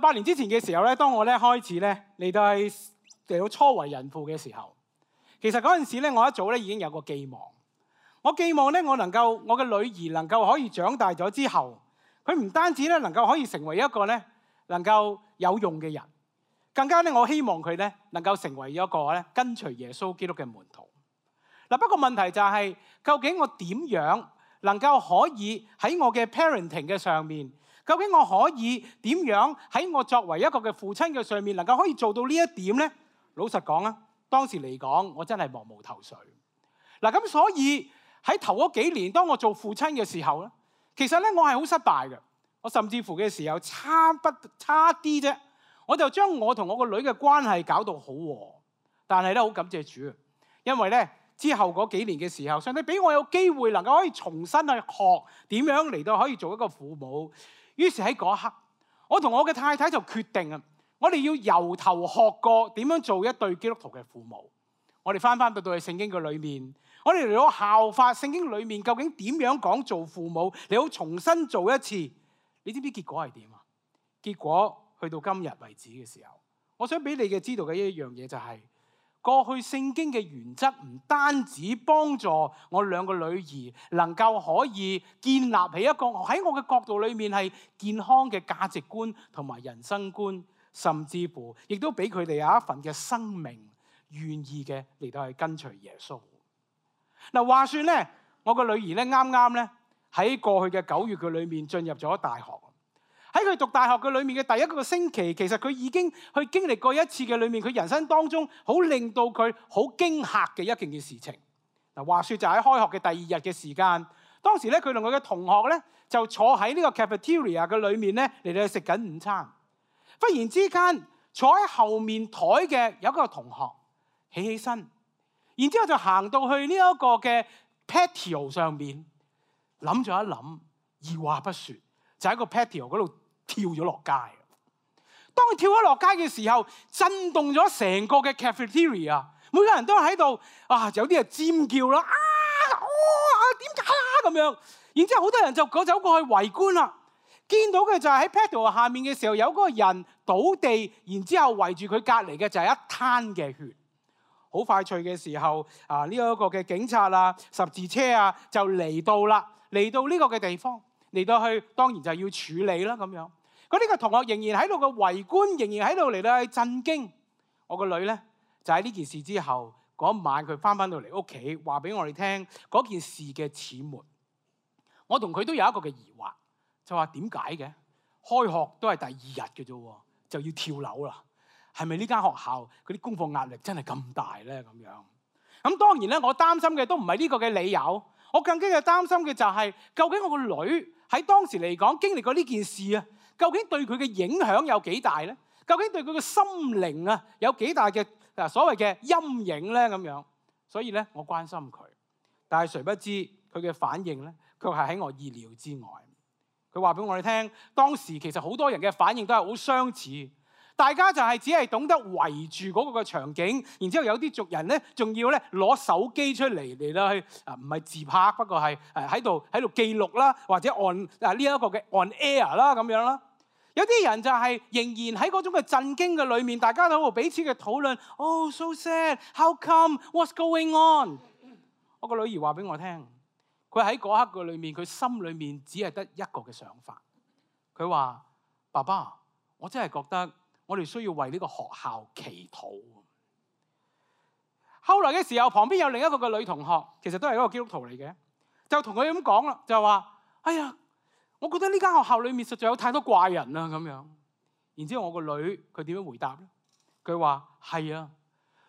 18年之前嘅時候咧，當我咧開始咧嚟到初為人父嘅時候，其實嗰陣時咧，我一早咧已經有個寄望。我寄望咧，我嘅女兒能夠可以長大咗之後，佢唔單止咧能夠可以成為一個咧能夠有用嘅人，更加咧我希望佢咧能夠成為一個咧跟隨耶穌基督嘅門徒。嗱，不過問題就係，究竟我點樣能夠可以喺我嘅 parenting 嘅上面，究竟我可以點樣喺我作為一個嘅父親嘅上面，能夠可以做到呢一點咧？老實講啊，當時嚟講，我真係茫無頭緒。嗱，咁所以喺頭嗰幾年，當我做父親嘅時候咧，其實咧我係好失敗嘅。我甚至乎嘅時候差啲啫，我就將我同我個女嘅關係搞到好和。但係咧好感謝主，因為咧之後嗰幾年嘅時候，上帝俾我有機會能夠可以重新去學點樣嚟到可以做一個父母。於是喺嗰一刻，我同我嘅太太就決定啊，我哋要由頭學過點樣做一對基督徒嘅父母。我哋翻到去聖經嘅裏面，我哋嚟到效法聖經裏面究竟點樣講做父母，你好重新做一次。你知唔知結果係點啊？結果去到今日為止嘅時候，我想俾你嘅知道嘅一樣嘢就係，過去聖經嘅原則唔單止幫助我兩個女兒能夠可以建立起一個喺我嘅角度裏面係健康嘅價值觀同埋人生觀，甚至乎亦都俾佢哋有一份嘅生命願意嘅嚟到去跟隨耶穌。嗱，話說咧，我個女兒咧啱啱咧喺過去嘅9月嘅裏面進入咗大學。喺佢讀大學嘅裏面嘅第一個星期，其實佢已經去經歷過一次嘅裏面，佢人生當中好令到佢好驚嚇嘅一件嘅事情。嗱，話說就喺開學嘅第2日嘅時間，當時咧佢同佢嘅同學咧就坐喺呢個 cafeteria 嘅裏面咧嚟到食緊午餐。忽然之間，坐喺後面台嘅有一個同學起身，然之後就行到去呢一個嘅 patio 上面，諗咗一諗，二話不說就喺個 patio 嗰度跳咗落街。當佢跳咗落街嘅時候，震動咗成個嘅 cafeteria， 每個人都喺度有啲人尖叫啦，點解啊咁樣。然之後好多人就走過去圍觀啦。見到嘅就係喺 patio 下面嘅時候，有嗰個人倒地，然之後圍住佢隔離嘅就係一灘嘅血。好快脆嘅時候，呢一個嘅警察啊、十字車啊就嚟到啦，嚟到呢個嘅地方，嚟到去當然就要處理啦咁樣。嗰啲個同學仍然喺度嘅圍觀，仍然喺度嚟到去震驚。我個女咧就喺呢件事之後嗰晚，佢翻到嚟屋企，話俾我哋聽嗰件事嘅始末。我同佢都有一個嘅疑惑，就話點解嘅？開學都係第2日嘅啫，就要跳樓啦？係咪呢間學校嗰啲功課壓力真係咁大咧？咁樣咁當然咧，我擔心嘅都唔係呢個嘅理由，我更加嘅擔心嘅就係究竟我個女喺當時嚟講經歷過呢件事啊，究竟對佢嘅影響有幾大咧？究竟對佢嘅心靈啊有幾大嘅所謂嘅陰影咧？咁樣，所以咧我關心佢，但係誰不知佢嘅反應咧，卻係喺我意料之外。佢話俾我哋聽，當時其實好多人嘅反應都係好相似。大家就係只係懂得圍住嗰個嘅場景，然之後有啲族人咧，仲要咧攞手機出嚟到去唔係自拍，不過係喺度記錄啦，或者按呢一個嘅 on air 啦咁樣啦。有啲人就係仍然喺嗰種嘅震驚嘅裏面，大家都喺度彼此嘅討論。Oh, so sad. How come? What's going on? 我個女兒話俾我聽，佢喺嗰刻嘅裏面，佢心裏面只係得一個嘅想法。佢話：爸爸，我真係覺得我哋需要為呢個學校祈禱。後來嘅時候，旁邊有另一個嘅女同學，其實都係一個基督徒嚟嘅，就同佢咁講啦，就話：哎呀，我覺得呢間學校裏面實在有太多怪人啦咁樣。然之後我個女佢點樣回答咧？佢話：係啊，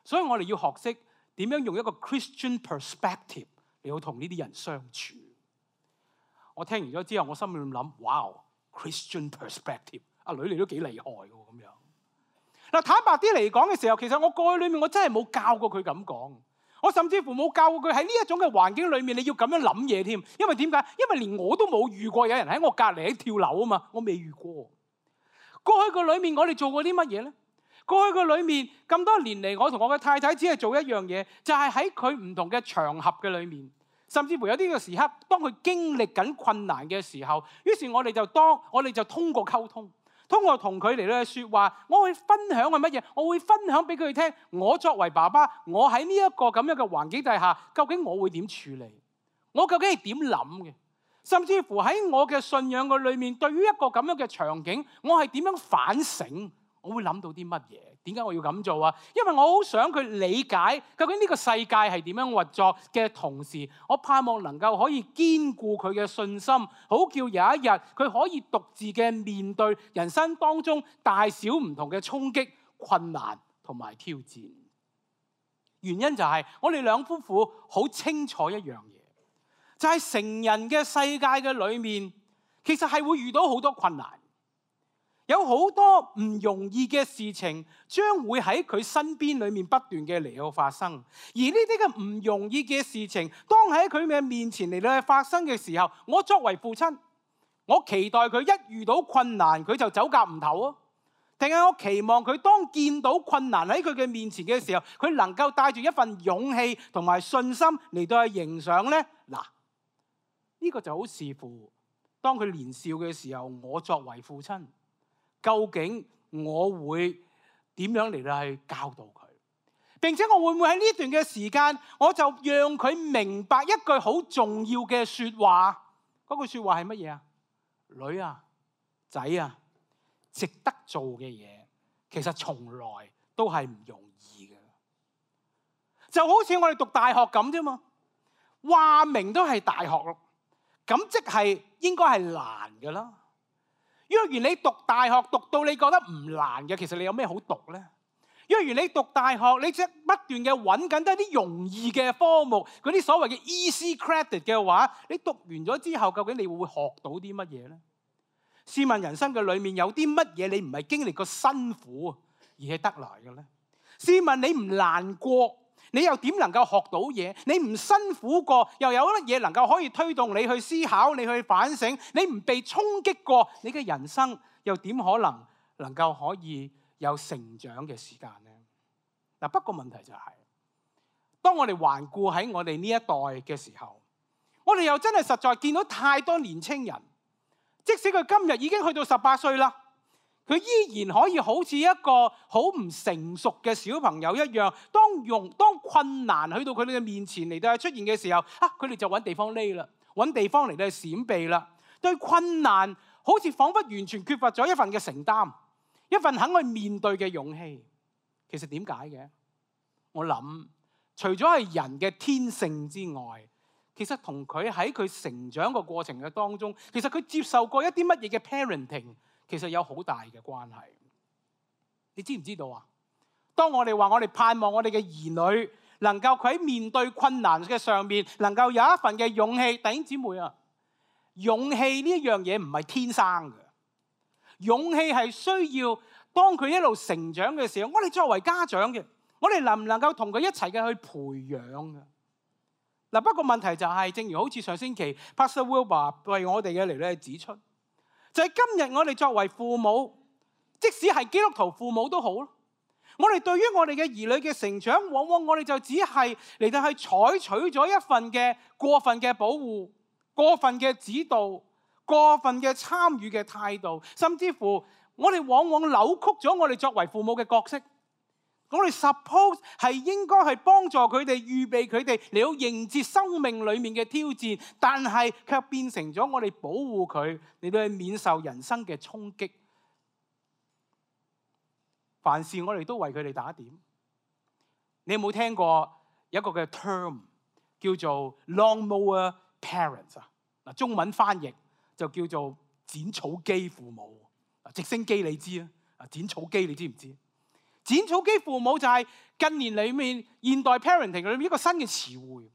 所以我哋要學識點樣用一個 Christian perspective 嚟到同呢啲人相處。我聽完咗之後，我心裏諗：哇 ，Christian perspective， 阿女你都幾厲害喎咁樣。嗱，坦白啲嚟講嘅時候，其實我過去裏面我真係冇教過佢咁講，我甚至乎冇教過佢喺呢一種嘅環境裏面你要咁樣諗嘢添。因為點解？因為連我都冇遇過有人喺我隔離喺跳樓啊嘛，我未遇過。過去個裏面我哋做過啲乜嘢咧？過去個裏面咁多年嚟，我同我嘅太太只係做一樣嘢，就係喺佢唔同嘅場合嘅裏面，甚至乎有啲嘅時刻，當佢經歷緊困難嘅時候，於是我哋就通過溝通。通過同佢嚟到去説話，我會分享係乜嘢？我會分享俾佢哋聽。我作為爸爸，我喺呢一個咁樣嘅環境底下，究竟我會點處理？我究竟係點諗嘅？甚至乎喺我嘅信仰嘅裏面，對於一個咁樣嘅場景，我係點樣反省？我會諗到啲乜嘢？點解我要咁做啊？因為我好想佢理解究竟呢個世界係點樣運作嘅同時，我盼望能夠可以堅固佢嘅信心，好叫有一日佢可以獨自嘅面對人生當中大小唔同嘅衝擊、困難同埋挑戰。原因就係我哋兩夫婦好清楚一樣嘢，就係成人嘅世界嘅裏面，其實係會遇到好多困難。有好多唔容易嘅事情將會喺佢身邊裏面不斷嘅嚟到發生，而呢啲嘅唔容易嘅事情，當喺佢嘅面前嚟到發生嘅時候，我作為父親，我期待佢一遇到困難佢就走夾唔唞啊，定係我期望佢當見到困難喺佢嘅面前嘅時候，佢能夠帶住一份勇氣同埋信心嚟到去迎上呢？嗱，呢個就好視乎當佢年少嘅時候，我作為父親，究竟我會點樣嚟到去教導佢？並且我會唔會喺呢段嘅時間，我就讓佢明白一句好重要嘅説話？嗰句説話係乜嘢啊？女啊，仔啊，值得做嘅嘢，其實從來都係唔容易嘅。就好似我哋讀大學咁啫嘛，話明都係大學咯，咁即係應該係難㗎啦。若然你讀大學讀到你覺得唔難嘅，其實你有咩好讀呢？若然你讀大學，你即不斷嘅揾緊都係啲容易嘅科目，嗰啲所謂嘅 easy credit 嘅話，你讀完咗之後，究竟你會學到啲乜嘢呢？試問人生嘅裏面有啲乜嘢你唔係經歷過辛苦而係得來嘅呢？試問你唔難過，你又點能夠學到嘢？你唔辛苦過，又有乜嘢能夠可以推動你去思考、你去反省？你唔被衝擊過，你嘅人生又點可能夠可以有成長嘅時間呢？嗱，不過問題就係，當我哋環顧喺我哋呢一代嘅時候，我哋又真係實在見到太多年青人，即使佢今日已經去到18歲啦，佢依然可以好似一個好唔成熟嘅小朋友一樣，當困難去到佢哋嘅面前嚟到出現嘅時候，佢哋就揾地方匿啦，揾地方嚟到閃避啦。對困難好似彷彿完全缺乏咗一份嘅承擔，一份肯去面對嘅勇氣。其實點解嘅？我諗除咗係人嘅天性之外，其實同佢喺佢成長個過程嘅當中，其實佢接受過一啲乜嘢嘅 parenting，其實有好大嘅關係。你知唔知道啊？當我哋話我哋盼望我哋嘅兒女能夠佢喺面對困難嘅上面能夠有一份嘅勇氣，弟兄姊妹啊，勇氣呢一樣嘢唔係天生嘅，勇氣係需要當佢一路成長嘅時候，我哋作為家長嘅，我哋能唔能夠同佢一齊嘅去培養嘅？嗱，不過問題就係，正如好似上星期 Pastor Wilbur 為我哋嘅嚟咧指出，就係今日我哋作為父母，即使係基督徒父母都好咯，我哋對於我哋嘅兒女嘅成長，往往我哋就只係嚟到去採取咗一份嘅過分嘅保護、過分嘅指導、過分嘅參與嘅態度，甚至乎我哋往往扭曲咗我哋作為父母嘅角色。我哋 suppose 係應該係幫助佢哋、預備佢哋嚟到迎接生命裡面嘅挑戰，但係卻變成咗我哋保護佢嚟到去免受人生嘅衝擊。凡事我哋都為佢哋打點。你有冇聽過有一個嘅 term 叫做 lawnmower parents 啊？嗱，中文翻譯就叫做剪草機父母。直升機你知啊？剪草機你知唔知？剪草機父母就係近年裏面現代 parenting 裏面一個新嘅詞彙，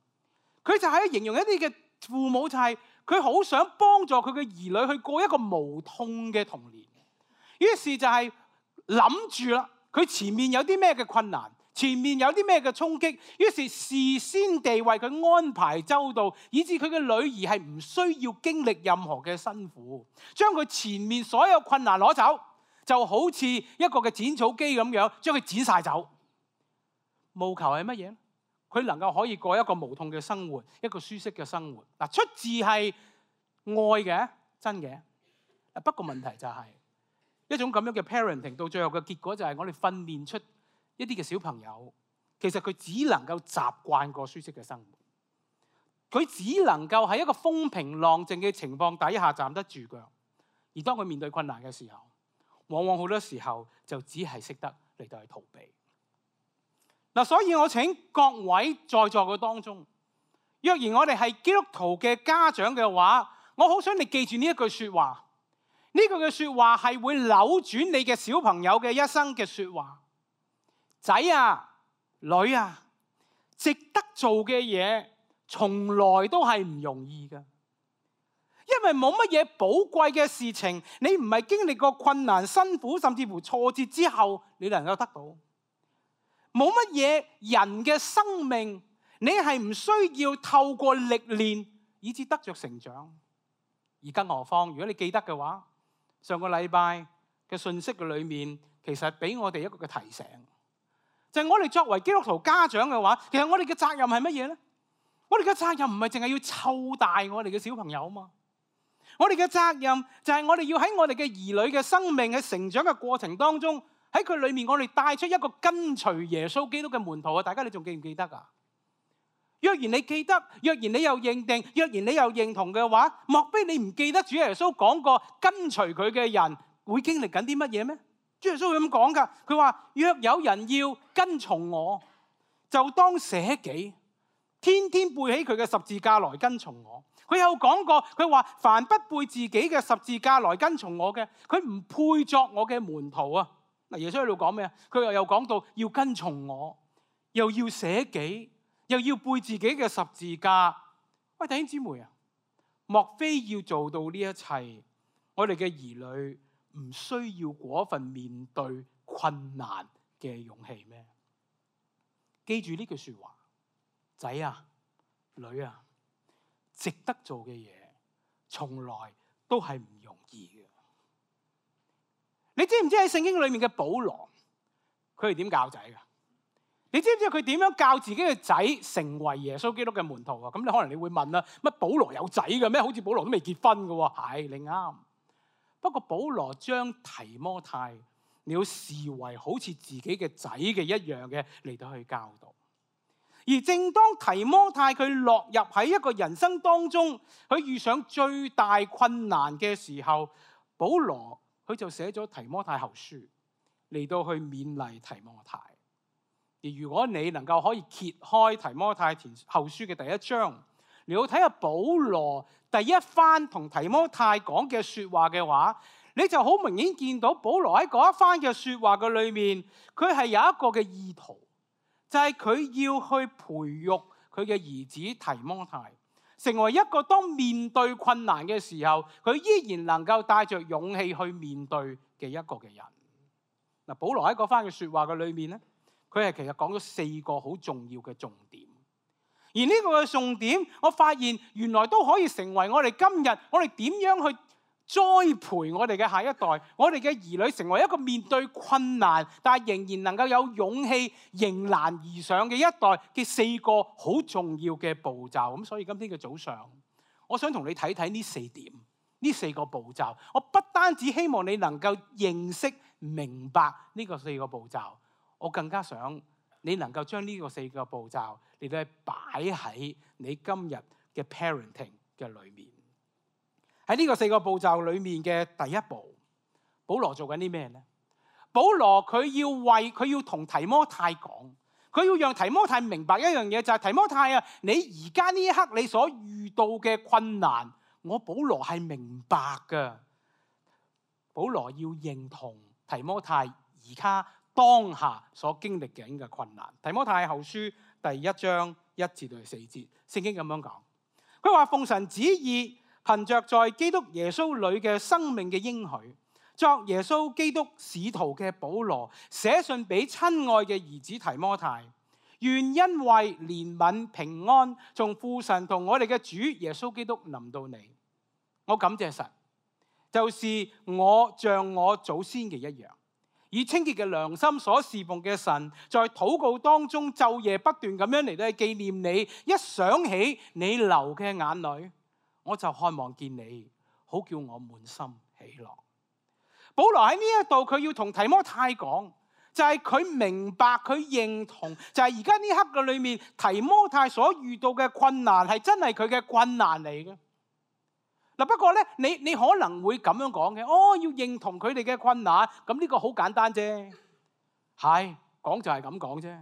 佢就係形容一啲嘅父母，就係佢好想幫助佢嘅兒女去過一個無痛嘅童年。於是就係諗住啦，佢前面有啲咩嘅困難，前面有啲咩嘅衝擊，於是事先地為佢安排周到，以致佢嘅女兒係唔需要經歷任何嘅辛苦，將佢前面所有困難攞走。就好似一個嘅剪草機咁樣，將佢剪晒走。務求係乜嘢？佢能夠可以過一個無痛嘅生活，一個舒適嘅生活。嗱，出自係愛嘅，真嘅。不過問題就係，一種咁樣嘅 parenting， 到最後嘅結果就係我哋訓練出一啲嘅小朋友，其實佢只能夠習慣過舒適嘅生活，佢只能夠喺一個風平浪靜嘅情況底下站得住腳，而當佢面對困難嘅時候，往往好多時候就只係識得嚟到去逃避。嗱，所以我請各位在座嘅當中，若然我哋係基督徒嘅家長嘅話，我好想你記住呢一句說話。呢句嘅說話係會扭轉你嘅小朋友嘅一生嘅說話。仔啊，女啊，值得做嘅嘢從來都係唔容易㗎，因為冇乜嘢寶貴嘅事情，你唔係經歷過困難、辛苦，甚至乎挫折之後，你能夠得到。冇乜嘢人嘅生命，你係唔需要透過歷練以至得着成長。而更何況，如果你記得嘅話，上個禮拜嘅信息嘅裏面，其實俾我哋一個嘅提醒，就係我哋作為基督徒家長嘅話，其實我哋嘅責任係乜嘢咧？我哋嘅責任唔係淨係要湊大我哋嘅小朋友嘛，我哋嘅責任就係我哋要喺我哋嘅兒女嘅生命喺成長嘅過程當中，喺佢裏面我哋帶出一個跟隨耶穌基督嘅門徒啊！大家你仲記唔記得啊？若然你記得，若然你又認定，若然你又認同嘅話，莫非你唔記得主耶穌講過跟隨佢嘅人會經歷緊啲乜嘢咩？主耶穌會咁講噶，佢話若有人要跟從我，就當捨己，天天背起佢嘅十字架來跟從我。佢有講過，佢話凡不背自己嘅十字架來跟從我嘅，佢唔配作我嘅門徒啊！嗱，耶穌喺度講咩啊？佢又講到要跟從我，又要捨己，又要背自己嘅十字架。喂，弟兄姊妹啊，莫非要做到呢一切，我哋嘅兒女唔需要嗰份面對困難嘅勇氣咩？記住呢句說話，仔啊，女啊，值得做嘅嘢，從來都係唔容易嘅。你知唔知喺聖經裏面嘅保羅，佢係點教仔㗎？你知唔知佢點樣教自己嘅仔成為耶穌基督嘅門徒啊？咁你可能你會問啦，乜保羅有仔嘅咩？好似保羅都未結婚嘅喎。係，你啱。不過保羅將提摩太，你要視為好似自己嘅仔嘅一樣嘅嚟到去教導。而正當提摩太佢落入喺一個人生當中，佢遇上最大困難嘅時候，保羅佢就寫咗提摩太後書嚟到去勉勵提摩太。而如果你能夠可以揭開提摩太後書嘅第一章，你要睇下保羅第一番同提摩太講嘅說話嘅話，你就好明顯見到保羅喺嗰一番嘅說話嘅裏面，佢係有一個嘅意圖，就係佢要去培育佢嘅兒子提摩太，成為一個當面對困難嘅時候，佢依然能夠帶着勇氣去面對嘅一個嘅人。嗱，保羅喺嗰番嘅說話嘅裏面咧，佢係其實講咗4個好重要嘅重點，而呢個嘅重點，我發現原來都可以成為我哋今日我哋點樣去栽培我哋嘅下一代，我哋嘅兒女成為一個面對困難但係仍然能夠有勇氣迎難而上嘅一代嘅4個好重要嘅步驟。咁所以今天嘅早上，我想同你睇睇呢4點，呢4個步驟。我不單止希望你能夠認識明白呢個4個步驟，我更加想你能夠將呢個4個步驟嚟到擺喺你今日嘅 parenting 嘅裏面。喺呢個4個步驟裏面嘅第一步，保羅做緊啲咩呢？保羅佢要同提摩太講，佢要讓提摩太明白一樣嘢，就係提摩太啊，你而家呢一刻你所遇到嘅困難，我保羅係明白㗎。保羅要認同提摩太而家當下所經歷緊嘅困難。提摩太後書第1章1至4節，聖經咁樣講，佢話奉神旨意，憑着在基督耶穌裏嘅生命嘅應許，作耶穌基督使徒嘅保羅，寫信俾親愛嘅兒子提摩太，願因為憐憫平安，從父神同我哋嘅主耶穌基督臨到你。我感謝神，就是我像我祖先嘅一樣，以清潔嘅良心所侍奉嘅神，在禱告當中晝夜不斷咁樣嚟到紀念你。一想起你流嘅眼淚，我就渴望見你，好叫我滿心喜樂。保羅喺呢一度佢要同提摩太講，就係佢明白佢認同，就係而家呢刻嘅裏面提摩太所遇到嘅困難係真係佢嘅困難嚟嘅。嗱，不過咧，你可能會咁樣講嘅，要認同佢哋嘅困難，咁呢個好簡單啫，係講就係咁講啫。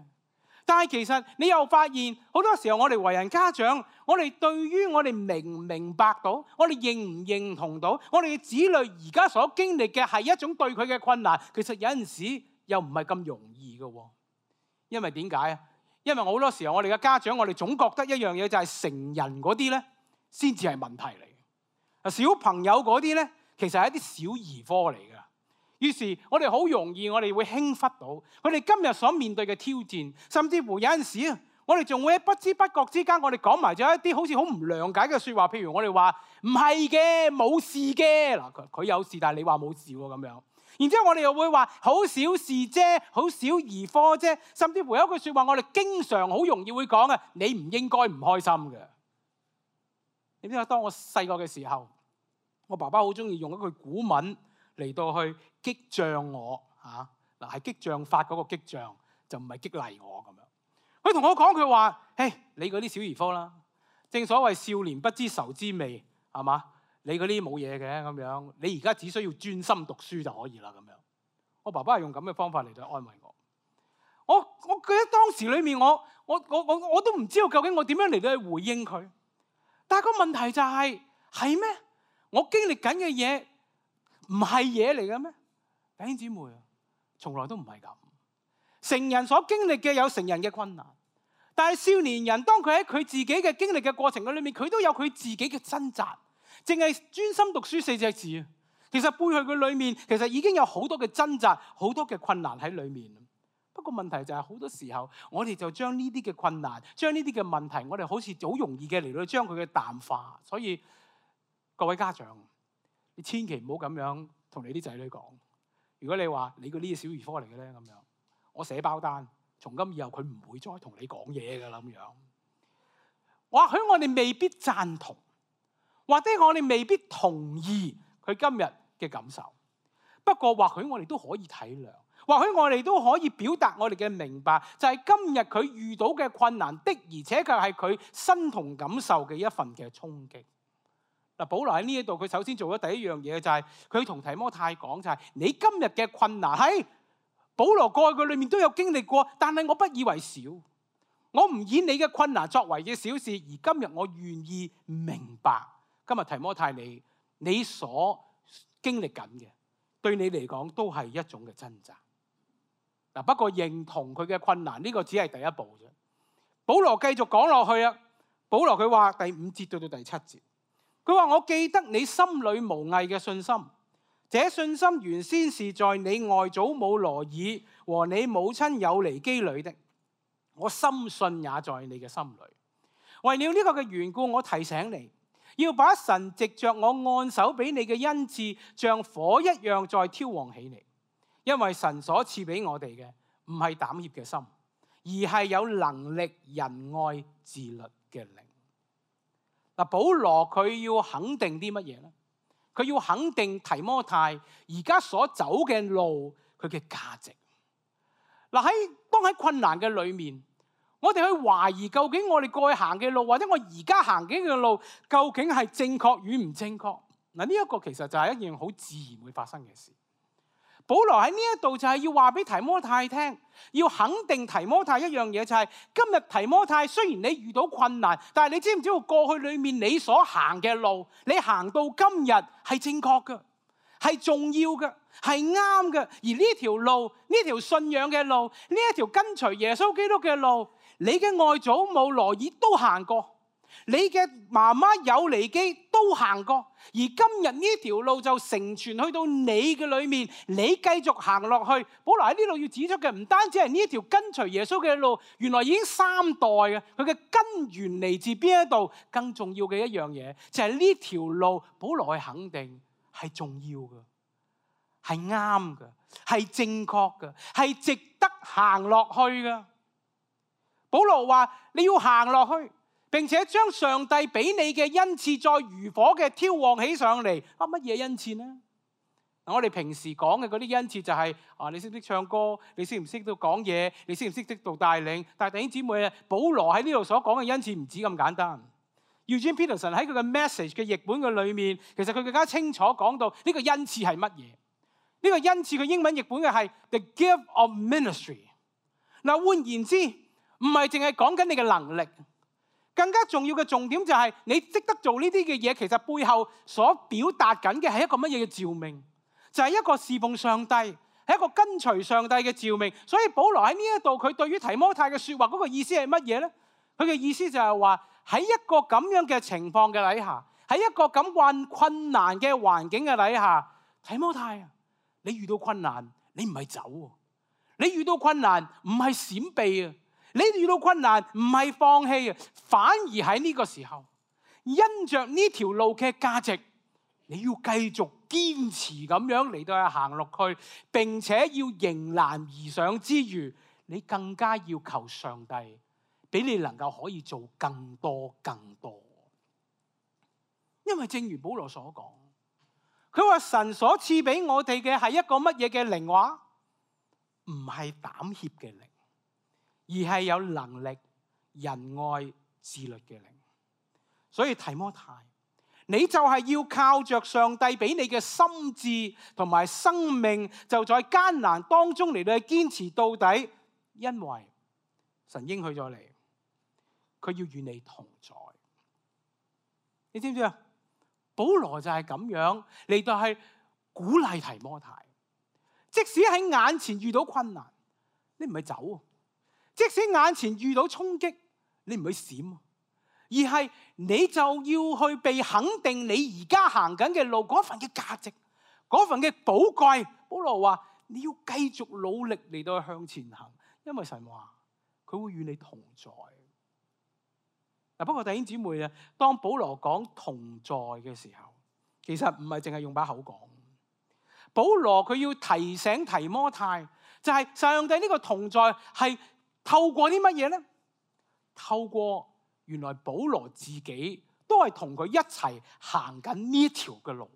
但係其實你又發現好多時候我哋為人家長，我哋對於我哋明唔明白到，我哋認唔認同到，我哋嘅子女而家所經歷嘅係一種對佢嘅困難，其實有陣時又唔係咁容易嘅。因為點解啊？因為好多時候我哋嘅家長，我哋總覺得一樣嘢就係成人嗰啲咧先至係問題嚟嘅，小朋友嗰啲咧其實係一啲小兒科嚟嘅。於是我哋好容易，我哋會輕忽到佢哋今日所面對嘅挑戰，甚至乎有陣時啊，我哋仲會喺不知不覺之間，我哋講埋咗一啲好似好唔諒解嘅説話。譬如我哋話唔係嘅，冇事嘅，嗱佢有事，但係你話冇事喎咁樣。然之後我哋又會話好小事啫，好小兒科啫。甚至乎有一句説話，我哋經常好容易會講啊，你唔應該唔開心嘅。你知唔知當我細個嘅時候，我爸爸好中意用一句古文嚟到去激將我嚇，嗱係激將法嗰個激將，就唔係激勵我咁樣。佢同我講，佢話：嘿，你嗰啲小兒科啦，正所謂少年不知愁滋味，係嘛？你嗰啲冇嘢嘅咁樣，你而家只需要專心讀書就可以啦咁樣。我爸爸係用咁嘅方法嚟到安慰我。我記得當時裏面我都唔知道究竟我點樣嚟到去回應佢。但係個問題就係咩？我經歷緊嘅嘢唔係嘢嚟嘅咩？弟兄姊妹啊，從來都唔係咁。成人所經歷嘅有成人嘅困難，但係少年人當佢喺佢自己嘅經歷嘅過程嘅裏面，佢都有佢自己嘅掙扎。淨係專心讀書4隻字啊，其實背後嘅裏面其實已經有好多嘅掙扎，好多嘅困難喺裏面。不過問題就係好多時候，我哋就將呢啲嘅困難，將呢啲嘅問題，我哋好似好容易嘅嚟到將佢嘅淡化。所以各位家長，你千祈唔好咁樣同你啲仔女講。如果你話你嗰啲小兒科嚟嘅咧，咁樣我寫包單，從今以後佢唔會再同你講嘢㗎啦咁樣。或許我哋未必贊同，或者我哋未必同意佢今日嘅感受。不過或許我哋都可以體諒，或許我哋都可以表達我哋嘅明白，就係今日佢遇到嘅困難的，而且佢係佢身同感受嘅一份嘅衝擊。嗱，保羅喺呢一度，佢首先做咗第一樣嘢，就係佢同提摩太講，就係你今日嘅困難喺保羅過去嘅裏面都有經歷過，但係我不以為小，我唔以你嘅困難作為嘅小事，而今日我願意明白，今日提摩太你所經歷緊嘅，對你嚟講都係一種嘅掙扎。嗱，不過認同佢嘅困難呢個只係第一步啫。保羅繼續講落去啊，保羅佢話第5節到第7節。佢話：我記得你心裏無偽嘅信心，這信心原先是在你外祖母羅爾和你母親友尼基裏的，我深信也在你嘅心裏。為了呢個嘅緣故，我提醒你，要把神藉着我按手俾你嘅恩賜，像火一樣再挑旺起嚟。因為神所賜俾我哋嘅唔係膽怯嘅心，而係有能力、仁愛、自律嘅靈。嗱，保羅佢要肯定啲乜嘢咧？佢要肯定提摩太而家所走嘅路，佢嘅價值。嗱，當喺困難嘅裏面，我哋去懷疑究竟我哋過去行嘅路，或者我而家行緊嘅路，究竟係正確與唔正確？嗱，呢一個其實就係一件好自然會發生嘅事。保羅喺呢一度就係要話俾提摩太聽，要肯定提摩太一樣嘢，就係今日提摩太雖然你遇到困難，但係你知唔知道過去裏面你所行嘅路，你行到今日係正確嘅，係重要嘅，係啱嘅。而呢條路，呢條信仰嘅路，呢一條跟隨耶穌基督嘅路，你嘅外祖母羅爾都行過，你嘅媽媽友尼基都行過，而今日呢條路就承傳去到你嘅裏面，你繼續行落去。保羅喺呢度要指出嘅唔單止係呢一條跟隨耶穌嘅路，原來已經3代嘅，佢嘅根源嚟自邊一度？更重要嘅一樣嘢就係呢條路，保羅去肯定係重要嘅，係啱嘅，係正確嘅，係值得行落去嘅。保羅話你要行落去，並且將上帝俾你嘅恩賜再如火嘅挑旺起上嚟。乜嘢恩賜呢？我哋平時講嘅嗰啲恩賜就係你識唔識唱歌，你識唔識到講嘢，你識唔識到帶領。但係弟兄姊妹啊，保羅喺呢度所講嘅恩賜唔止咁簡單。Eugene Peterson 喺佢嘅 message 嘅譯本嘅裏面，其實佢更加清楚講到呢個恩賜係乜嘢。呢個恩賜佢英文譯本嘅係 the gift of ministry。嗱，換言之，唔係淨係講緊你嘅能力，更加重要嘅重點就係你識得做呢啲嘅嘢，其實背後所表達緊嘅係一個乜嘢嘅召命，就係一個侍奉上帝，係一個跟隨上帝嘅召命。所以保羅喺呢一度，佢對於提摩太嘅説話嗰個意思係乜嘢咧？佢嘅意思就係話喺一個咁樣嘅情況嘅底下，喺一個咁困難嘅環境嘅底下，提摩太啊，你遇到困難，你唔係走喎，你遇到困難唔係閃避啊，你遇到困難唔係放棄啊，反而喺呢個時候，因着呢條路嘅價值，你要繼續堅持咁樣嚟到去行落去，並且要迎難而上之餘，你更加要求上帝俾你能夠可以做更多更多。因為正如保羅所講，佢話神所賜俾我哋嘅係一個乜嘢嘅靈話？唔係膽怯嘅靈，而係有能力、仁愛、自律嘅靈。所以提摩太，你就係要靠着上帝俾你嘅心智同埋生命，就在艱難當中嚟到去堅持到底，因為神應許咗你，佢要與你同在。你知唔知啊？保羅就係咁樣嚟到係鼓勵提摩太，即使喺眼前遇到困難，你唔係走；即使眼前遇到衝擊，你唔去閃，而係你就要去被肯定你而家行緊嘅路嗰份嘅價值，嗰份嘅寶貴。保羅話你要繼續努力嚟到向前行，因為神話佢會與你同在。不過弟兄姊妹啊，當保羅講同在嘅時候，其實唔係淨係用把口講。保羅佢要提醒提摩太，就係上帝呢個同在係透過啲乜嘢呢？透過原來保羅自己都係同佢一齊行緊呢條嘅路，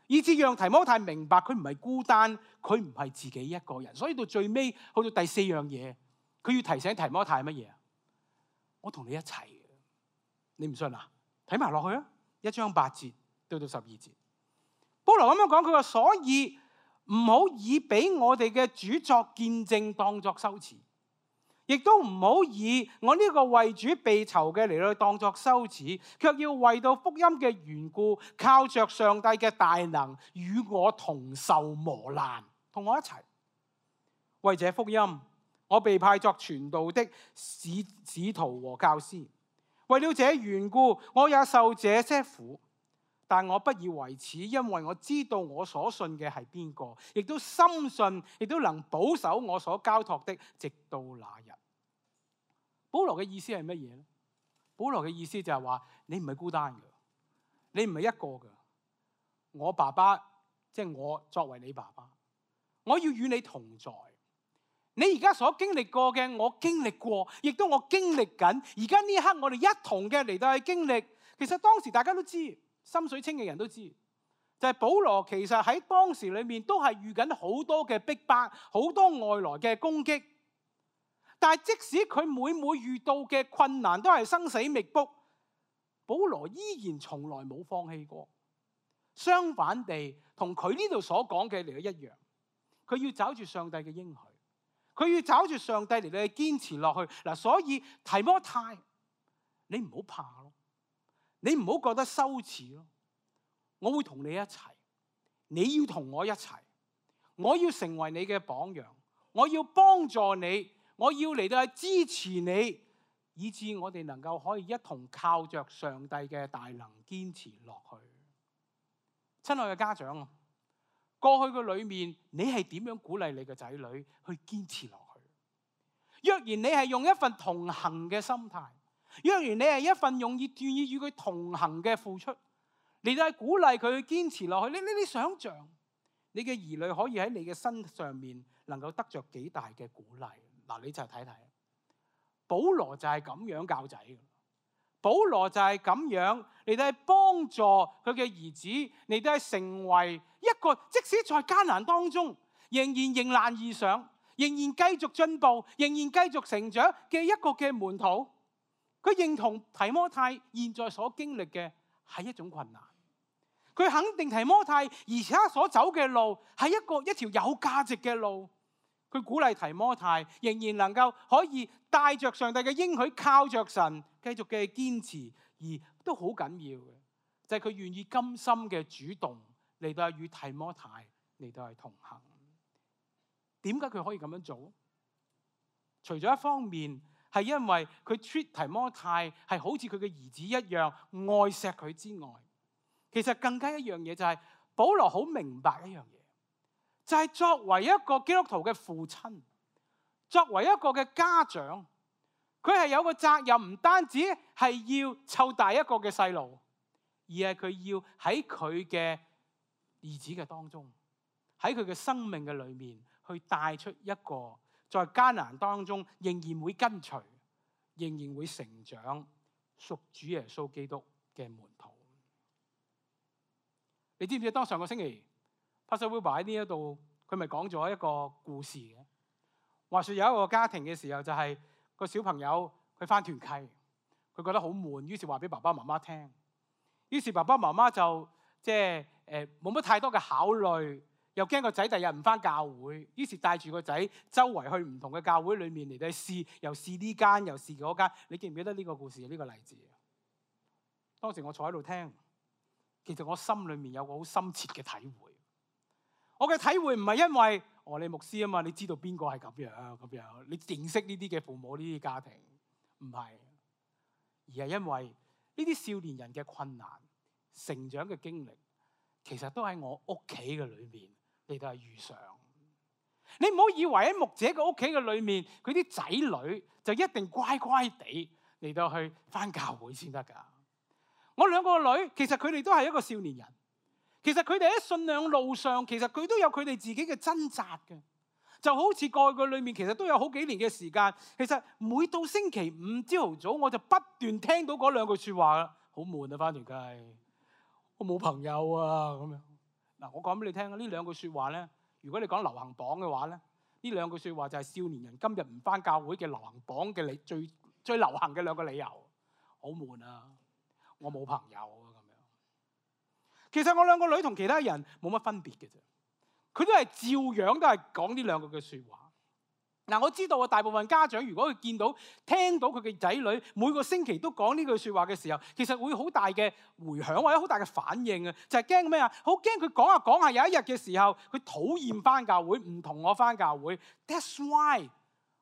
以至讓提摩太明白佢唔係孤單，佢唔係自己一個人。所以到最尾去到第4樣嘢，佢要提醒提摩太乜嘢？我同你一齊。你唔信啊？睇埋落去啊！1章8節到12節，保羅咁樣講，佢話：所以唔好以俾我哋嘅主作見證當作羞恥，亦都唔好以我呢個為主被囚嘅嚟到當作羞恥，卻要為到福音嘅緣故，靠着上帝嘅大能，與我同受磨難，同我一齊。為這福音，我被派作傳道的使徒和教師。為了這緣故，我也受這些苦，但我不以為恥，因為我知道我所信嘅係邊個，亦都深信，亦都能保守我所交託的，直到那日。保羅嘅意思係乜嘢呢？保羅嘅意思就係話，你唔係孤單嘅，你唔係一個嘅。我爸爸，即係我作為你爸爸，我要與你同在。你而家所經歷過嘅，我經歷過，亦都我經歷緊。而家呢一刻，我哋一同嘅嚟到去經歷。其實當時大家都知，心水清嘅人都知，就係保羅其實喺當時裏面都係遇緊好多嘅逼迫，好多外來嘅攻擊。但係即使佢每遇到嘅困難都係生死密卜，保羅依然從來冇放棄過。相反地，同佢呢度所講嘅嚟到一樣，佢要找住上帝嘅應許。佢要找住上帝嚟到去堅持落去嗱，所以提摩太，你唔好怕咯，你唔好覺得羞恥咯。我會同你一齊，你要同我一齊，我要成為你嘅榜樣，我要幫助你，我要嚟到去支持你，以致我哋能夠可以一同靠着上帝嘅大能堅持落去。親愛嘅家長啊，過去嘅裏面，你係點樣鼓勵你嘅仔女去堅持落去？若然你係用一份同行嘅心態，若然你係一份願意與佢同行嘅付出，嚟到鼓勵佢去堅持落去，你想象你嘅兒女可以喺你嘅身上面能夠得着幾大嘅鼓勵？嗱，你就睇睇，保羅就係咁樣教仔嘅。保羅就係咁樣嚟到係幫助佢嘅兒子嚟到係成為一個即使在艱難當中仍然迎難而上，仍然繼續進步，仍然繼續成長嘅一個嘅門徒。佢認同提摩太現在所經歷嘅係一種困難，佢肯定提摩太而家所走嘅路係一條有價值嘅路。佢鼓勵提摩太仍然能夠可以帶着上帝嘅應許，靠着神繼續嘅堅持，而都好緊要嘅就係佢願意甘心嘅主動嚟到與提摩太嚟到係同行。點解佢可以咁樣做？除咗一方面係因為佢 treat 提摩太係好似佢嘅兒子一樣愛錫佢之外，其實更加一樣嘢就係保羅好明白一樣嘢，就係作為一個基督徒嘅父親，作為一個嘅家長，佢係有個責任，唔單止係要湊大一個嘅細路，而係佢要喺佢嘅兒子嘅當中，喺佢嘅生命嘅裏面去帶出一個在艱難當中仍然會跟隨，仍然會成長屬主耶穌基督嘅門徒。你知唔知當上個星期 Pastor Wilbur 喺呢一度，佢咪講咗一個故事嘅？話說有一個家庭嘅時候，就係個小朋友佢返團契，佢覺得好悶，於是話俾爸爸媽媽聽。於是爸爸媽媽就冇乜太多嘅考慮，又驚個仔第日唔返教會，於是帶住個仔周圍去唔同嘅教會裏面嚟到試，又試呢間，又試嗰間。你記唔記得呢個故事呢個例子？當時我坐喺度聽，其實我心裏面有個好深切嘅體會。我嘅體會唔係因為你牧師啊嘛，你知道邊個係咁樣，你認識呢啲嘅父母呢啲家庭，唔係，而係因為呢啲少年人嘅困難成長嘅經歷，其實都喺我屋企嘅裏面嚟到係遇上。你唔好以為喺牧者嘅屋企嘅裏面，佢啲仔女就一定乖乖地嚟到去返教會先得㗎。我兩個女其實佢哋都係一個少年人。其實佢哋喺信仰路上，其實佢都有佢哋自己嘅掙扎嘅，就好似過去裏面，其實都有好幾年嘅時間。其實每到星期五朝頭早，我就不斷聽到嗰兩句説話啦，好悶啊！返團契，我冇朋友啊咁樣。嗱，我講俾你聽啊，呢兩句説話咧，如果你講流行榜嘅話咧，呢兩句説話就係少年人今日唔返教會嘅流行榜嘅最流行嘅兩個理由。好悶啊！我冇朋友啊。其實我兩個女同其他人冇乜分別嘅啫，佢都係照樣都係講呢兩句嘅説話。嗱，我知道啊，大部分家長如果佢聽到佢嘅仔女每個星期都講呢句説話嘅時候，其實會好大嘅迴響或者好大嘅反應啊，就係驚咩啊？好驚佢講下講下有一日嘅時候，佢討厭返教會，唔同我返教會。That's why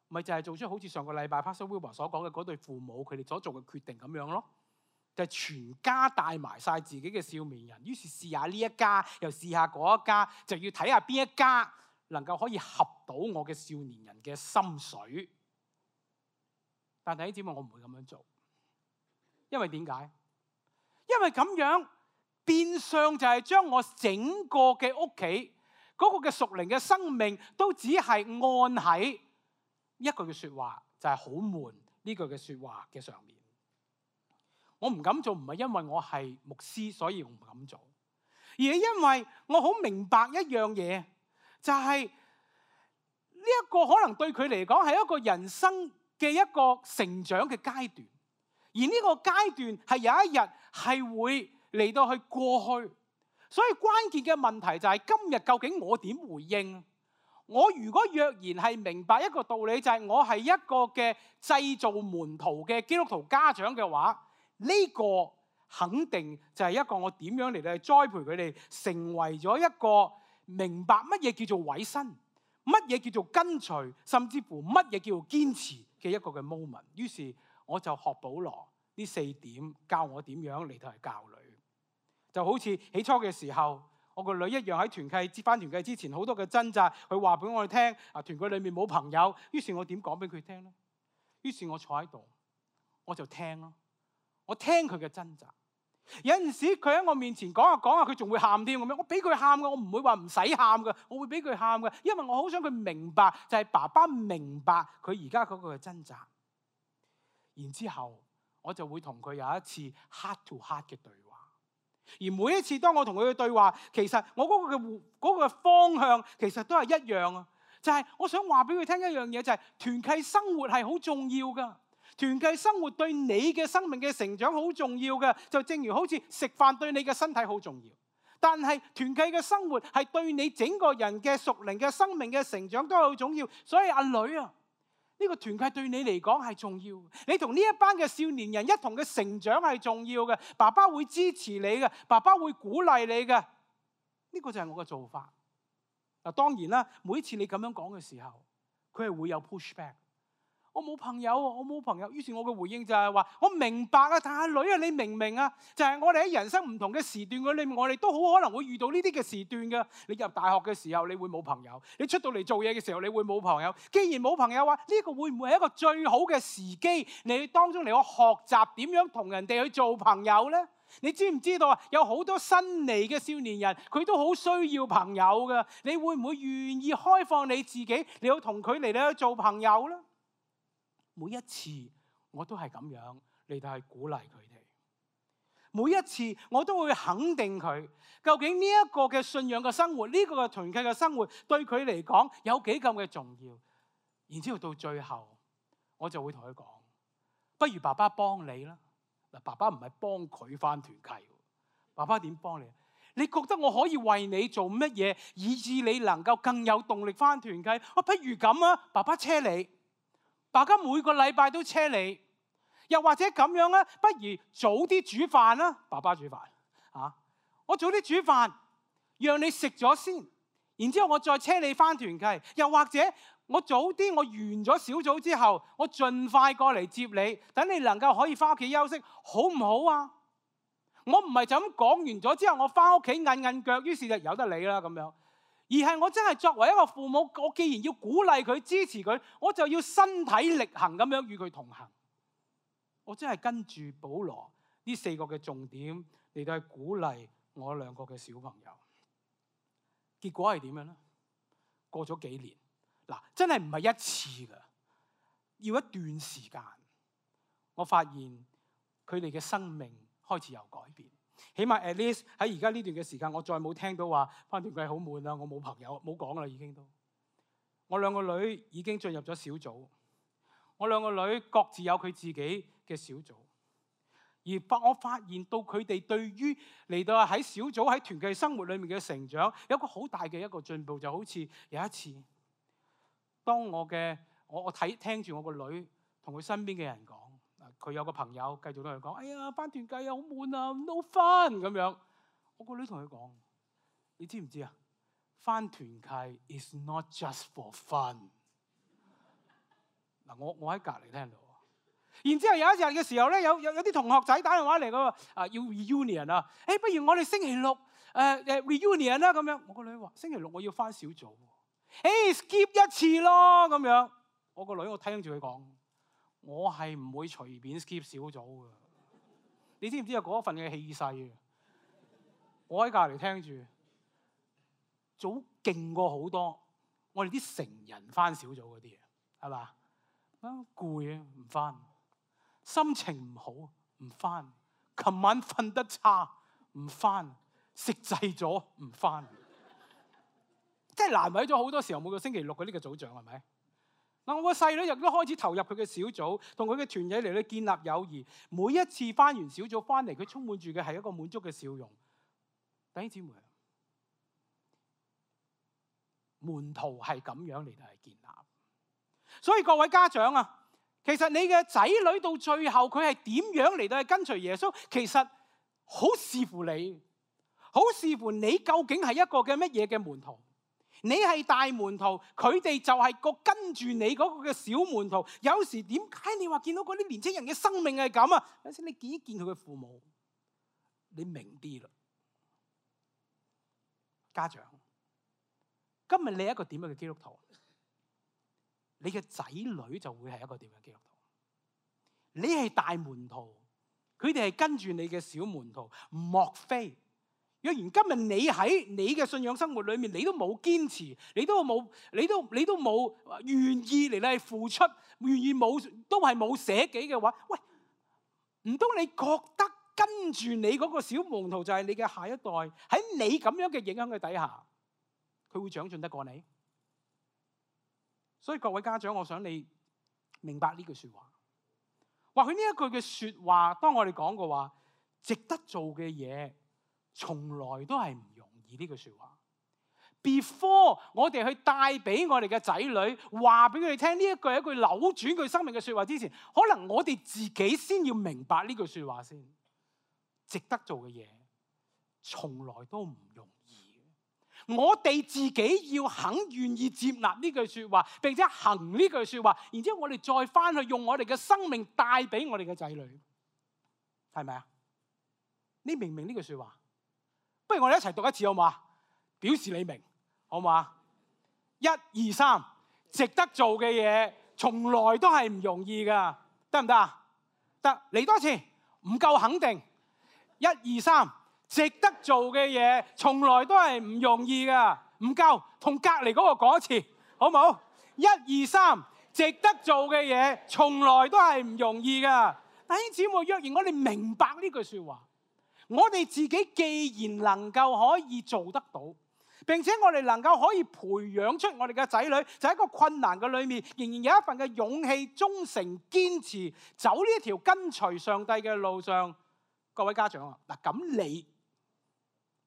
咪就係做出好似上個禮拜 Pastor Wilbur 所講嘅嗰對父母佢哋所做嘅決定咁樣咯。就係全家帶埋晒自己嘅少年人，於是試下呢一家，又試下嗰一家，就要睇下邊一家能夠可以合到我嘅少年人嘅心水。但弟兄姊妹，我唔會咁樣做，因為點解？因為咁樣變相就係將我整個嘅屋企嗰個嘅屬靈嘅生命都只係按喺一句嘅説話，就係好悶呢句嘅説話嘅上面。我唔敢做，唔係因為我係牧師，所以我唔敢做，而係因為我好明白一樣嘢，就係呢一個可能對佢嚟講係一個人生嘅一個成長嘅階段，而呢個階段係有一日係會嚟到去過去，所以關鍵嘅問題就係今日究竟我點回應？我如果若然係明白一個道理，就係我係一個嘅製造門徒嘅基督徒家長嘅話，呢個肯定就係一個我點樣嚟到栽培佢哋，成為咗一個明白乜嘢叫做委身，乜嘢叫做跟隨，甚至乎乜嘢叫做堅持嘅一個嘅 moment。於是我就學保羅呢4點，教我點樣嚟到係教女。就好似起初嘅時候，我個女一樣喺團契返團契之前好多嘅掙扎，佢話俾我哋聽啊，團契裏面冇朋友。於是我點講俾佢聽咧？於是我坐喺度，我就聽咯。我聽佢嘅掙扎，有陣時佢喺我面前講下講下，佢仲會喊添咁樣。我俾佢喊嘅，我唔會話唔使喊嘅，我會俾佢喊嘅，因為我好想佢明白，就係爸爸明白佢而家嗰個嘅掙扎。然之後我就會同佢有一次 heart to heart 嘅對話。而每一次當我同佢嘅對話，其實我嗰個方向其實都係一樣啊，就係我想話俾佢聽一樣嘢，就係團契生活係好重要噶。團契生活對你嘅生命嘅成長好重要嘅，就正如好似食飯對你嘅身體好重要。但係團契嘅生活係對你整個人嘅屬靈嘅生命嘅成長都好重要。所以阿女啊，呢個團契對你嚟講係重要。你同呢一班嘅少年人一同嘅成長係重要嘅。爸爸會支持你嘅，爸爸會鼓勵你嘅。呢個就係我嘅做法。嗱，當然啦，每一次你咁樣講嘅時候，佢係會有 pushback。我冇朋友，我冇朋友。於是我嘅回應就係話：我明白啊，但係女啊，你明唔明啊？就係我哋喺人生唔同嘅時段嘅裏面，我哋都好可能會遇到呢啲嘅時段嘅。你入大學嘅時候，你會冇朋友；你出到嚟做嘢嘅時候，你會冇朋友。既然冇朋友話，呢個會唔會係一個最好嘅時機？你當中嚟我學習點樣同人哋去做朋友呢？你知唔知道啊？有好多新嚟嘅少年人，佢都好需要朋友㗎。你會唔會願意開放你自己，你要同佢嚟去做朋友呢？每一次我都係咁樣嚟到去鼓勵佢哋，每一次我都會肯定佢。究竟呢一個嘅信仰嘅生活，呢個嘅團契嘅生活，對佢嚟講有幾咁嘅重要？然之後到最後，我就會同佢講：不如爸爸幫你啦。嗱，爸爸唔係幫佢返團契，爸爸點幫你？你覺得我可以為你做乜嘢，以致你能夠更有動力返團契？不如咁啊，爸爸車你。爸爸每個禮拜都車你，又或者咁樣啦，不如早啲煮飯啦。爸爸煮飯我早啲煮飯，讓你食咗先，然之後我再車你返團契。又或者我早啲，我完咗小組之後，我盡快過嚟接你，等你能夠可以返屋企休息，好唔好啊？我唔係就咁講完咗之後，我返屋企韌韌腳，於是就由得你啦咁樣。而係我真係作為一個父母，我既然要鼓勵佢、支持佢，我就要身體力行咁樣與佢同行。我真係跟住保羅呢4個嘅重點嚟到去鼓勵我2個嘅小朋友。結果係點樣呢？過咗幾年，嗱，真係唔係一次㗎，要一段時間，我發現佢哋嘅生命開始有改變。起碼 at least 喺而家呢段嘅時間，我再冇聽到話返團契好悶啦，我冇朋友，冇講啦已經都。我2個女已經進入咗小組，我2個女各自有佢自己嘅小組。而我發現到佢哋對於嚟到喺小組喺團契生活裏面嘅成長，有一個好大嘅一個進步。就好似有一次，當我聽住我個女同佢身邊嘅人講。佢有個朋友繼續同佢講：哎呀，返團契啊，好悶啊 ，no fun 咁樣。我個女同佢講：你知唔知啊？返團契 is not just for fun。嗱，我喺隔離聽到。然之後有一日嘅時候咧，有啲同學仔打電話嚟，嗰要 reunion 啊。不如我哋星期六reunion 啦咁樣。我個女話：星期六我要返小組。skip 一次咯咁樣。我個女我聽住佢講。我係唔會隨便 skip 小組嘅，你知唔知有嗰份嘅氣勢啊？我喺隔離聽住，早勁過好多我哋啲成人返小組嗰啲嘢，係嘛？攰啊，唔返；心情唔好，唔返；琴晚瞓得差，唔返；食滯咗，唔返。即係難為咗好多時候，每個星期六嘅呢個組長係咪？我個細女亦都開始投入佢嘅小組，同佢嘅團體嚟到建立友誼。每一次返完小組返嚟，佢充滿住嘅係一個滿足嘅笑容。弟兄姊妹，門徒係咁樣嚟到係建立。所以各位家長啊，其實你嘅仔女到最後佢係點樣嚟到係跟隨耶穌，其實好視乎你，好視乎你究竟係一個嘅乜嘢嘅門徒。你係大門徒，佢哋就係個跟住你嗰個嘅小門徒。有時點解你話見到嗰啲年輕人嘅生命係咁啊？有時你見一見佢嘅父母，你明啲啦。家長，今日你係一個點樣嘅基督徒？你嘅仔女就會係一個點樣嘅基督徒？你係大門徒，佢哋係跟住你嘅小門徒。莫非若然今日你喺你嘅信仰生活裏面，你都冇堅持，你都冇願意嚟嚟付出，願意冇都係冇捨己嘅話，喂，唔通你覺得跟住你嗰個小門徒就係你嘅下一代，喺你咁樣嘅影響嘅底下，佢會長進得過你？所以各位家長，我想你明白呢句說話。或許呢一句嘅說話，當我哋講過話，值得做嘅嘢，從來都係唔容易。呢句說話 ，before 我哋去帶俾我哋嘅仔女，話俾佢哋聽呢一句係一句扭轉佢生命嘅說話之前，可能我哋自己先要明白呢句說話先。值得做嘅嘢，從來都唔容易。我哋自己要肯願意接納呢句說話，並且行呢句說話，然之後我哋再翻去用我哋嘅生命帶俾我哋嘅仔女，係咪啊？你明唔明呢句說話？不如我哋一齊讀一次好唔好啊？表示你明，好唔好啊？1、2、3，值得做嘅嘢，從來都係唔容易噶，得唔得啊？得，嚟多次，唔夠肯定。1、2、3。值得做嘅嘢，從來都係唔容易噶，唔夠，同隔離嗰個講一次，好唔好？1、2、3，值得做嘅嘢，從來都係唔容易噶。弟兄姊妹，若然我哋明白呢句說話，我哋自己既然能夠可以做得到，並且我哋能夠可以培養出我哋嘅仔女，就喺一個困難嘅裏面，仍然有一份嘅勇氣、忠誠、堅持，走呢一條跟隨上帝嘅路上。各位家長啊，嗱，咁你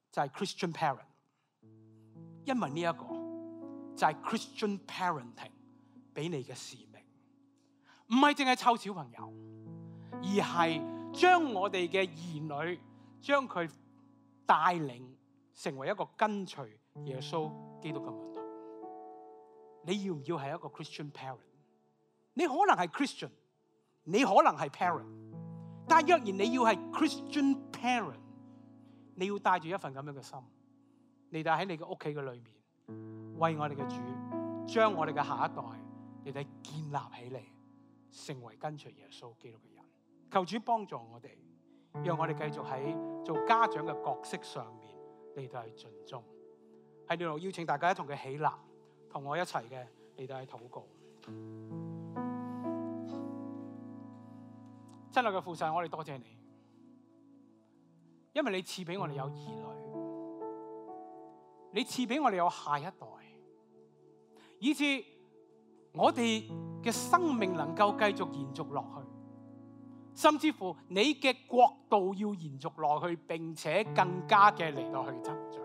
就係 Christian parent， 因為呢一個就係 Christian parenting 俾你嘅使命，唔係淨係湊小朋友，而係將我哋嘅兒女將佢帶領成為一個跟隨耶穌基督嘅門徒。你要唔要係一個 Christian parent？ 你可能係 Christian， 你可能係 parent， 但係若然你要係 Christian parent，你要帶住一份咁樣嘅心，你帶喺你嘅屋企嘅裏面，為我哋嘅主，將我哋嘅下一代，你哋建立起嚟，成為跟隨耶穌基督嘅人。求主幫助我哋，讓我哋繼續喺做家長嘅角色上面，你哋去盡忠。喺呢度邀請大家一同嘅起立，同我一齊嘅你哋去禱告。親愛嘅父神，我哋多謝你。因為你賜俾我哋有兒女，你賜俾我哋有下一代，以致我哋嘅生命能夠繼續延續落去，甚至乎你嘅國度要延續落去，並且更加嘅嚟到去增長。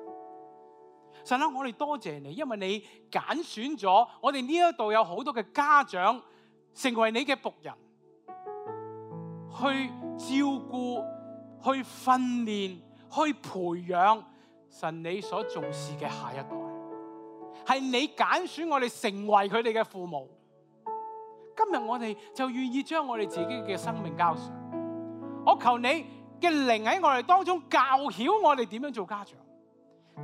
神啊，我哋多謝你，因為你揀選咗我哋呢一度有好多嘅家長成為你嘅僕人，去照顧，去訓練，去培養神你所重視嘅下一代，係你揀選我哋成為佢哋嘅父母。今日我哋就願意將我哋自己嘅生命交上，我求你嘅靈喺我哋當中教曉我哋點樣做家長，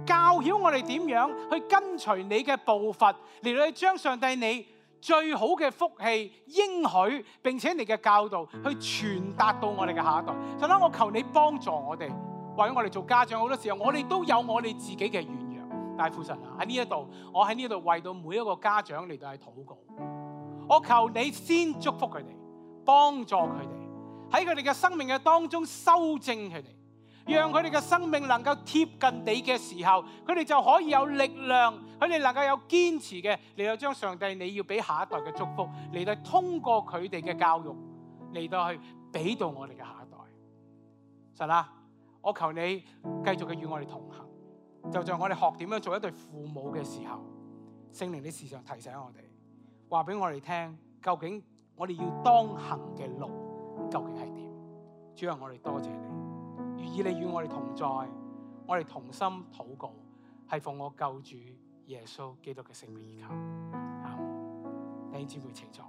教曉我哋點樣去跟隨你嘅步伐，嚟到去將上帝你最好嘅福氣應許，並且你嘅教導去傳達到我哋嘅下一代。神啊，我求你幫助我哋，為我哋做家長，好多時候我哋都有我哋自己嘅軟弱。但係父神啊，喺呢一度，我喺呢度為到每一個家長嚟到去禱告，我求你先祝福佢哋，幫助佢哋喺佢哋嘅生命嘅當中修正佢哋，讓佢哋嘅生命能夠貼近你嘅時候，佢哋就可以有力量，佢哋能夠有堅持嘅嚟到將上帝你要俾下一代嘅祝福嚟到通過佢哋嘅教育嚟到去俾到我哋嘅下一代。神啊，我求你繼續嘅與我哋同行，就像我哋學點樣做一對父母嘅時候，聖靈你時常提醒我哋，話俾我哋聽，究竟我哋要當行嘅路究竟係點？主啊，我哋多謝你，願意你與我哋同在，我哋同心禱告，係奉我救主耶穌基督嘅聖名而求。阿們。弟兄姊妹請坐。